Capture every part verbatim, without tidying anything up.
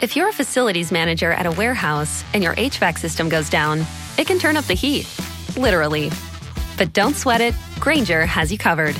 If you're a facilities manager at a warehouse and your H V A C system goes down, it can turn up the heat, literally. But don't sweat it, Grainger has you covered.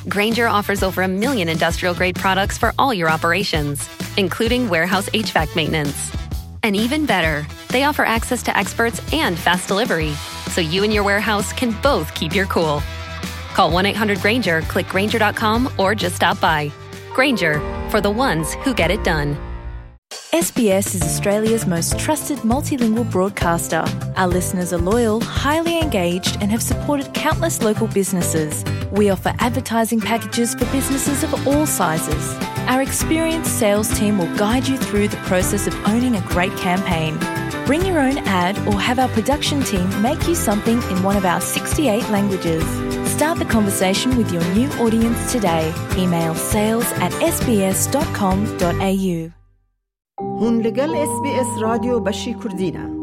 Grainger offers over a million industrial grade products for all your operations, including warehouse H V A C maintenance. And even better, they offer access to experts and fast delivery, so you and your warehouse can both keep your cool. Call one eight hundred Grainger, click Grainger dot com, or just stop by. Grainger, for the ones who get it done. S B S is Australia's most trusted multilingual broadcaster. Our listeners are loyal, highly engaged, and have supported countless local businesses. We offer advertising packages for businesses of all sizes. Our experienced sales team will guide you through the process of owning a great campaign. Bring your own ad or have our production team make you something in one of our sixty-eight languages. Start the conversation with your new audience today. Email sales at S B S dot com dot A U. Hûn li gel S B S Radyo Beşî Kurdî ne.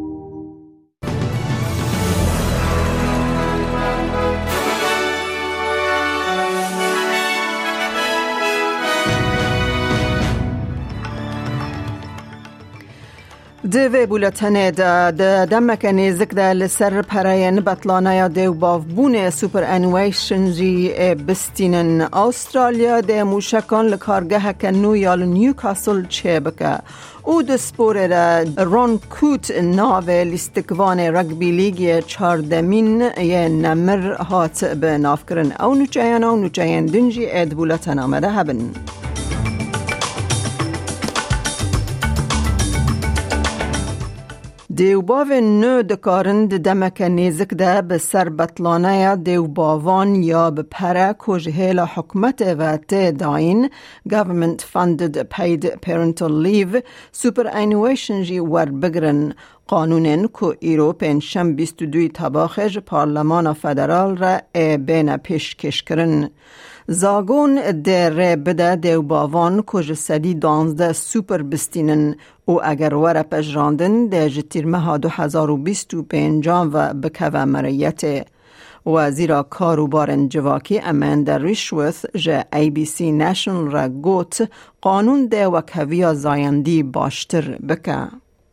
Di vê bûletenê de, di demeke nêzik de li ser pereyên betlaneya dêwbavbûnê superannuation jî ê bistînin. Australya dê mûşekan li kargeheke nû ya li Newcastle çêbike û di sporê de Ron Coote navê lîstikvanê rugby lîgê çardemîn yê nemir hat bi navkirin. Ew nûçeyana û nûçeyên din jî ê di bûletena me de hebin. Dêwbavên nû dikarin di demeke nêzik de bi ser betlaneya dêwbavan ya bi pere ku ji hêla hikûmetê ve tê dayîn, government funded paid parental leave, superannuation jî werbigirin. Qanûnên ku îro pêncşem bîst û duyê Tebaxê ji Parlemana Federal re ê bêne pêşkêşkirin. Zagon dê rê bide dêwbavan ku ji sedî duwazdeh super bistînin û eger were pejirandin, dê ji tîrmeha du hezar û bîst û pêncan ve bikeve meriyetê. Wezîra Karûbarên Civakî Amanda Rishworth ji A B C National re got, qanûn dê wekheviya zayendî baştir bike.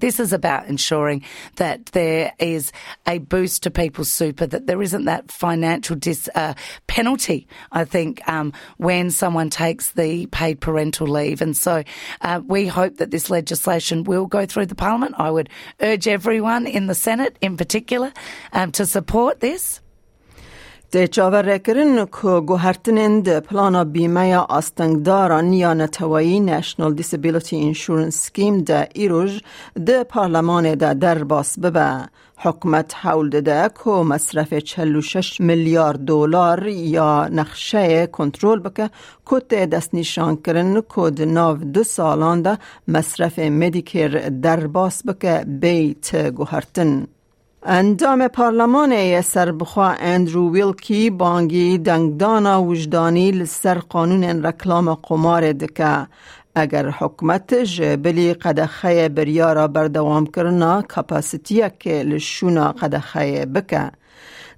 This is about ensuring that there is a boost to people's super, that there isn't that financial dis-, uh, penalty, I think, um, when someone takes the paid parental leave. And so, uh, we hope that this legislation will go through the Parliament. I would urge everyone in the Senate in particular, um, to support this. Tê çaverêkirin ku guhertinên di plana bîmeya astengdaran ya neteweyî National Disability Insurance Scheme de îroj di parlemanê de derbas bibe. Hikûmet hewl dide ku mesrefê çel û şeş milyar dolar ya nexşeyê kontrol bike ku tê destnîşankirin ku di nav du salan de mesrefê Medicare derbas bike bêyî ti guhertin. Endamê Parlemanê yê Serbixwe Andrew Wilkie bangî dengdana wijdanî li ser qanûnên reklama qomarê dike. Eger hikûmet ji bilî qedexeyê biryara berdewamkirina kapasitiyekê li şûna qedexeyê bike.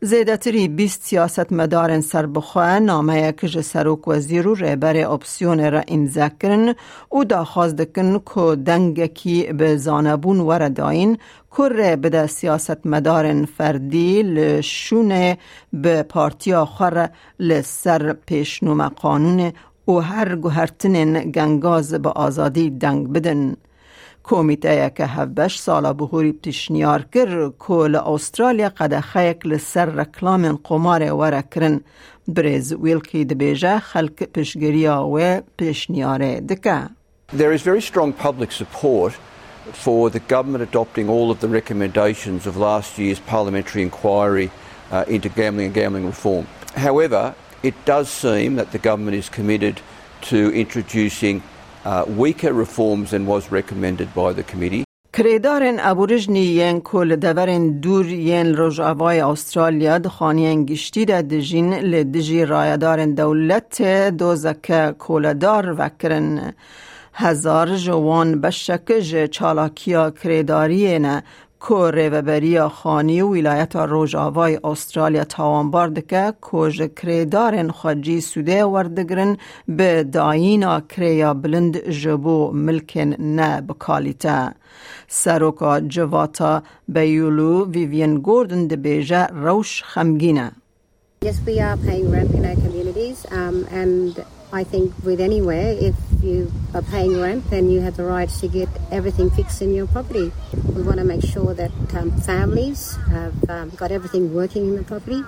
Zêdetirî bîst siyasetmedarên serbixwe nameyek ji serokwezîr û rêberê opsiyonê re îmze kirin û daxwaz dikin ku dengekî bi zanebûn were dayîn, ku rê bide siyasetmedarên ferdî li şûnê bi partiya xwe re li ser pêşnûme qanûnê û her guhertinên gengaz bi azadî deng bidin. Komîteyeke hevbeş sala bihurî pişniyar kir ku li Awustralya qedexeyek li ser reklamên qomarê were kirin. Birêz Wilkie dibêje, xelk piştgiriya wê pêşniyarê dike. There is very strong public support for the government adopting all of the recommendations of last year's parliamentary inquiry, uh, into gambling and gambling reform. However, it does seem that the government is committed to introducing, uh, weaker reforms than was recommended by the committee. Kirêdarên Aborîjnî yên ku li deverên dûr yên Rojavayê Awustralya di xaniyên giştî de dijîn, li dijî rayedarên dewletê dozeke koledar vekirin. Hezar ji wan beşek ji çalakiya kirêdariyê ne Ku Rêveberiya Xanî û Wîlayeta Rojavayê Astralya tawanbar dike ku ji kirêdarên xwecî sûdê werdigirin, bi dayîna kirêya bilind ji bo milkên ne bi kalîte. Seroka civata Beyulu Vivian Gordon dibêje rewş xemgîn e. Yes, we are paying rent in our communities, um, and I think with anywhere, if you are paying rent, then you have the right to get everything fixed in your property. We want to make sure that um, families have um, got everything working in the property,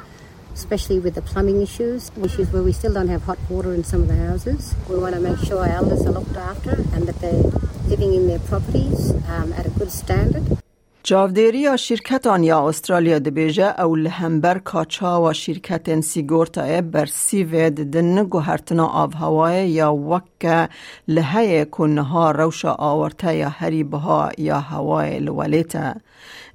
especially with the plumbing issues, issues where we still don't have hot water in some of the houses. We want to make sure our elders are looked after and that they're living in their properties um, at a good standard. Çavdêriya şîrketan ya Astralya dibêje, ew li hember ka çawa şîrketên sîgortayê bersîvê didin guhertina avhewayê ya weke li heye ku niha rewşa awarte ya herî biha ya hewayê li welêt e.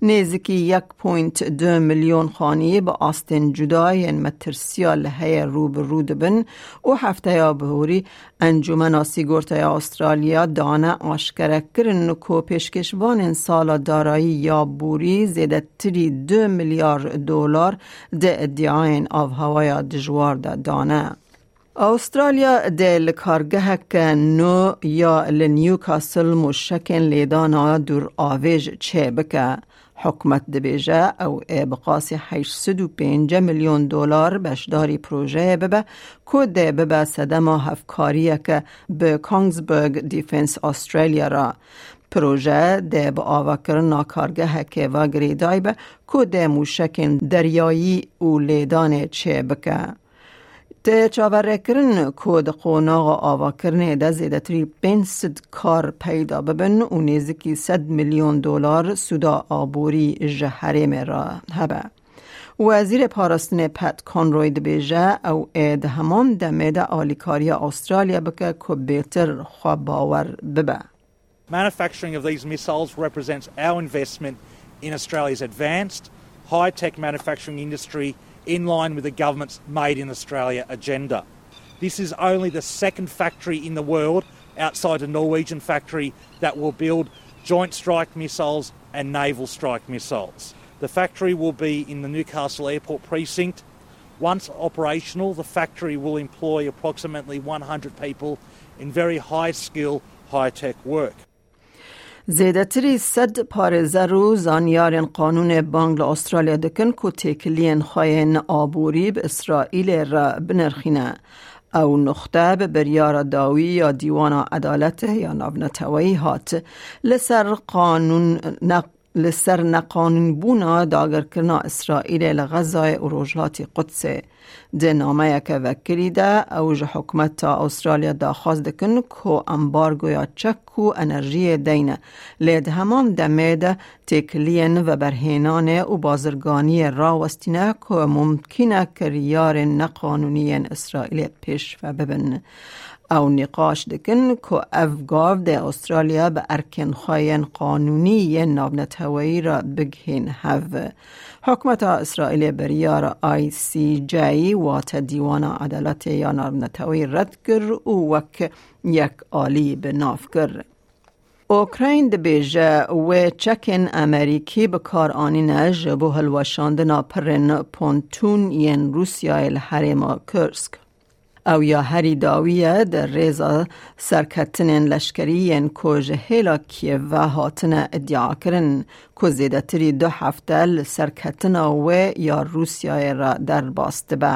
Nêzikî yek point du milyon xaniyê bi astên cuda yên metirsiya li heye rû bi rû dibin û hefteya bihorî Encûmena Sîgortaya Astralya dane aşkerekirin ku pêşkêşvanên sala darayî ya borî zêdetirî du milyar dolar di îdiayên avhewaya dijwar de dane. Astralya dê li kargeheke nû ya li Newcastle mûşekên lêdana dûravêj çêbike. Hikûmet dibêje, ew ê bi qasî heşt sed û pêncî milyon dolar beşdarî projeyê bibe, ku dê bibe sedema hevkariyeke bi Kongsberg Defence Australia re. Proje dê bi avakirina kargehekê ve girêdayî be, ku dê mûşekên deryayî û lêdanê çêbike. Tê çaverêkirin ku di qonaxa avakirinê de zêdetirî pênc sed kar peyda bibin û nêzikî sed milyon dolar sûda aborî ji herêmê re hebe. Wezîrê Parastinê Pat Conroy dibêje, ew ê di heman demê de alîkariya Astralya bike ku bêtir xwe bawer bibe. Manufacturing of these missiles represents our investment in Australia's advanced, high-tech manufacturing industry in line with the government's Made in Australia agenda. This is only the second factory in the world outside the Norwegian factory that will build joint strike missiles and naval strike missiles. The factory will be in the Newcastle Airport precinct. Once operational, the factory will employ approximately one hundred people in very high-skill, high-tech work. Zêdetirî sed parêzer û zanyarên qanûnê bang li Astralya dikin ku têkiliyên xwe yên aborî bi Îsraîlê re binirxîne. Ew nuxte bi biryara dawî ya Dîwana Edaletê ya Navneteweyî hat. Li ser qanûn ne-, li ser neqanûnbûna dagirkirina Îsraîlê li Xezayê û Rojhilatî Qudsê. Di nameyeke vekirî de ew ji hikûmeta Astralya daxwaz dikin ku embargoya çek û enerjiyê deyne, lê di heman demê de têkiliyên veberhênanê û bazirganiyê rawestîne ku mumkîn e kiryarên neqanûnî yên Îsraîlê pêş ve bibin. Ew nîqaş dikin ku ev gav dê Astralya bi erkên xwe yên qanûnî yên navneteweyî re bigihên hev. Hikûmeta Îsraîlê biryara I C J, wate Dîwana Edaletê ya Navneteweyî red kir û wek yek alî bi nav kir. Ukrayn dibêje, wê çekên Amerîkî bi kar anîne ji bo hilweşandina pirên pontûn yên Rûsyayê li herêma Kursk. Ew ya herî dawî ye di rêza serketinên leşkerî yên ku ji hêla Kiev ve hatine îdiakirin, ku zêdetirî du hefte li serketina wê ya Rûsyayê re derbas dibe.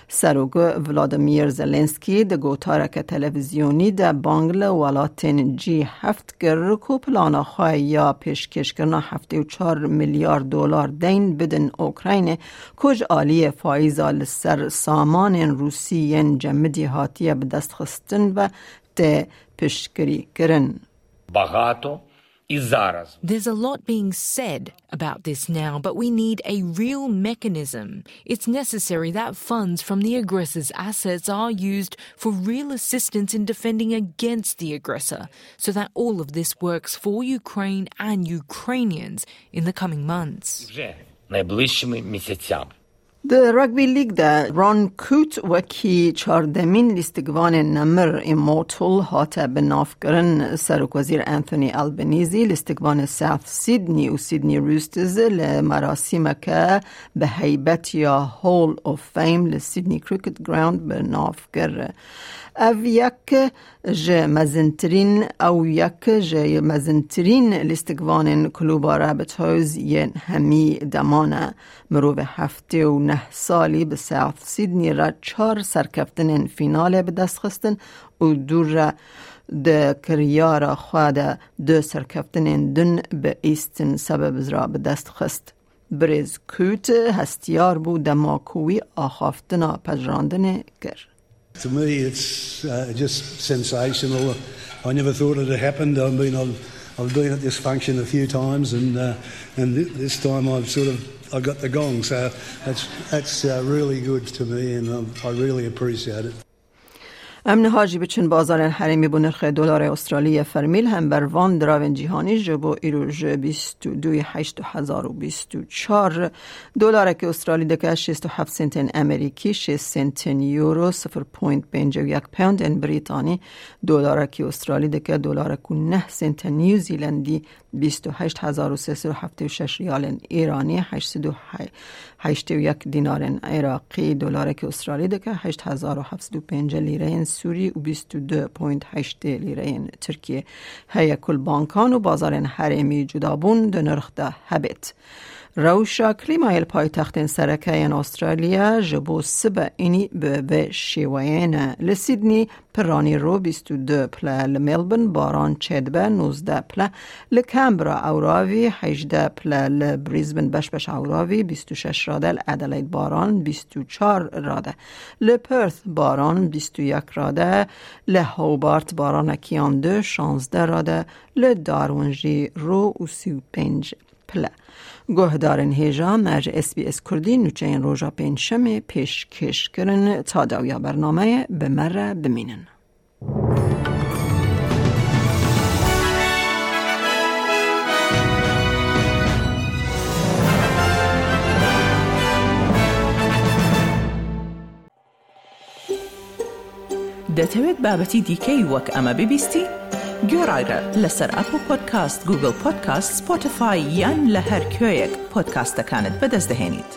Serok Volodymyr Zelensky di gotareke televîzyonî de bang li welatên G heft kir ku plana xwe ya pêşkêşkirina heftê û çar milyar dolar deyn bidin Ukraynê, ku ji aliyê faîza li ser samanên Rûsî yên cemidî hatiye bidestxistin ve tê piştgirîkirin. Багато і зараз. There's a lot being said about this now, but we need a real mechanism. It's necessary that funds from the aggressor's assets are used for real assistance in defending against the aggressor, so that all of this works for Ukraine and Ukrainians in the coming months. Вже найближчими місяцями. Di Rugby League de Ron Coote wekî çardemîn lîstikvanên nemir, Immortal, hate binavkirin. Serokwezîr Anthony Albanese lîstikvanê South Sydney û Sydney Roosters li merasîmeke bi heybet ya Hall of Fame li Sydney Cricket Ground bi nav kir. Ev yek ji mezintirîn, ew yek ji mezintirîn lîstikvanên Klûba Rabbitohs yên hemî deman e. Mirovê heftê û neh salî bi South Sydney re çar serkeftinên fînalê bi dest xistin û dû re di kiryara xwe de du serkeftinên din bi Eastern Suburbs re bi dest xist. Birêz Coote hestiyar bû dema ku wî axaftina pejirandinê kir. To me, it's uh, just sensational. I never thought it had happened. I've been, I've, I've been at this function a few times, and uh, and th- this time I've sort of I got the gong. So that's that's uh, really good to me, and um, I really appreciate it. Em niha jî biçin bazarên herêmî bo nirxê dolarê Australî yê fermî li hember van diravên cîhanî ji bo îro ji bîst û duyê heşt du hezar û bîst û çar. Dolarekî Australî dike şêst û heft sentên Amerîkî, şêst sentên Euro, sifir point pêncî û yek poundên Brîtanî. Dolarekî Australî dike dolarek û neh sentên New Zealandî, bîst û heşt hezar û sê sed û heftê û şeş riyalên Îranî, heşt sed û heştê û yek dînarên Iraqî. Dolarekî Australî dike heşt hezar û heft sed û pêncî lîreyên Sûrî û bîst û du point heştê lîreyên Tirkiyê. Heye ku li bankan û bazarên herêmî cudabûn di nirx de hebêt. Rewşa klîmayê li paytextên sereke yên Australya ji bo sibe înî bi vê şêweyê ne. Li Sydney piranî ro bîst û du pile, li Melbourne baran çêdibe nozdeh pile, li Canberra ewravî hejdeh pile, li Brisbane beş beş ewravî bîst û şeş rade, li Adelaide baran bîst û çar rade, li Perth baran bîst û yek rade, li Hobart baranekî yan du şazdeh rade, li Darwin jî ro û sî û pênc pile. Guhdarên hêja me ji S B S Kurdî nûçeyên roja pêncşemê pêşkêş kirin. Ta dawiya bernameyê bi me re bimînin. دەتەوێت بابەتی دیکەی وەک ئەمە ببیستی؟ گوێڕایرە لەسەر ئەپڵ پۆدکاست، گوگڵ پۆدکاست، سپۆتیفای یان لە هەر کوێیەک پۆدکاستەکانت بەدەست دەهێنیت.